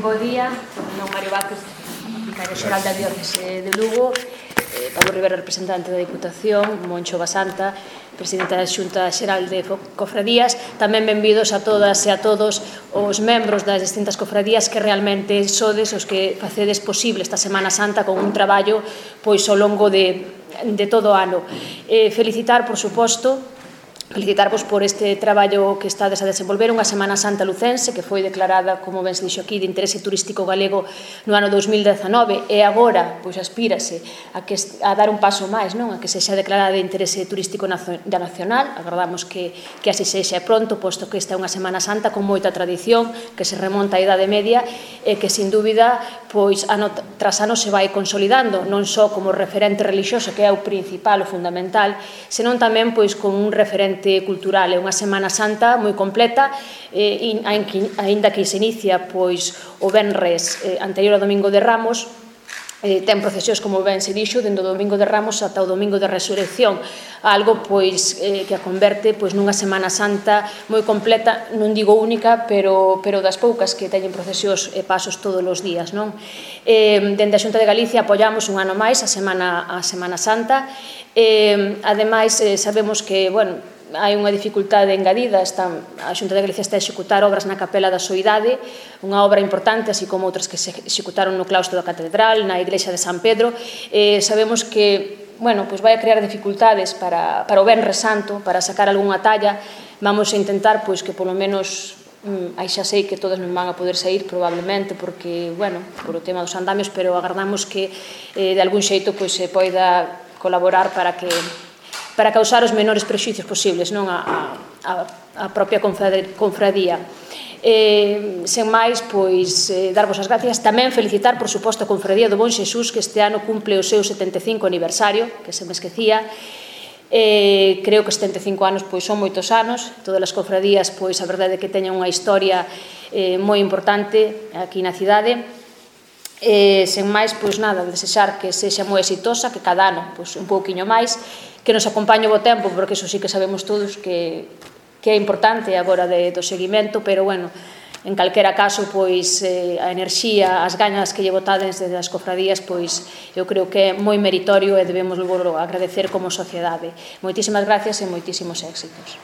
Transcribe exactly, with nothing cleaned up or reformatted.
Bo día, non Mario Vázquez, vicario xeral da Diócese de Lugo, eh, Pablo Rivera, representante da Diputación, Moncho Basanta, presidente da Xunta Xeral de Cofradías. Tamén benvidos a todas e a todos os membros das distintas cofradías que realmente sodes os que facedes posible esta Semana Santa con un traballo pois ao longo de, de todo o ano. Eh, felicitar, por suposto, felicitarvos por este traballo que estades a desenvolver, unha Semana Santa lucense que foi declarada, como ben se dixo aquí, de interese turístico galego no ano dous mil dezanove e agora pois aspírase a, que, a dar un paso máis, non? A que sexa declarada de interese turístico da nacional. Agardamos que, que así sexa pronto, posto que esta é unha Semana Santa con moita tradición que se remonta á Idade Media e que, sin dúbida, pois ano tras ano se vai consolidando, non só como referente religioso, que é o principal, o fundamental, senón tamén pois como un referente cultural. É unha Semana Santa moi completa, eh, aínda que se inicia pois o venres eh, anterior ao Domingo de Ramos. Eh, ten procesións, como ben se dixo, dende o Domingo de Ramos ata o Domingo de Resurrección, algo pois eh, que a converte pois nunha Semana Santa moi completa, non digo única, pero, pero das poucas que teñen procesións e pasos todos os días, non? Eh, dende a Xunta de Galicia apoiamos un ano máis a Semana, a Semana Santa. Eh, ademais, eh, sabemos que, bueno, hai unha dificultade engadida. Está, a Xunta de Galicia está a executar obras na Capela da Soidade, unha obra importante, así como outras que se executaron no claustro da Catedral, na Igrexa de San Pedro. Eh, sabemos que, bueno, pois vai a crear dificultades para, para o Venres Santo, para sacar algunha talla. Vamos a intentar pois que polo menos, mm, aí xa sei que todas non van a poder sair probablemente porque, bueno, por o tema dos andamios, pero agardamos que eh, de algún xeito pois se poida colaborar para que para causar os menores prexuicios posibles, non a, a, a propia confradía. Eh, sen máis, pois, eh, darvos as gracias. Tamén felicitar, por suposto, a Confradía do Bon Xesús, que este ano cumple o seu setenta e cinco aniversario, que se me esquecía. Eh, creo que setenta e cinco anos pois son moitos anos. Todas as cofradías, pois, a verdade é que teñen unha historia eh, moi importante aquí na cidade. Eh, sen máis, pois nada, desexar que sexa moi exitosa, que cada ano pois, un pouquiño máis, que nos acompañe o bo tempo, porque iso sí que sabemos todos que, que é importante agora de, do seguimento, pero, bueno, en calquera caso, pois, eh, a enerxía, as gañas que lle botades desde as cofradías, pois, eu creo que é moi meritorio e debemos agradecer como sociedade. Moitísimas gracias e moitísimos éxitos.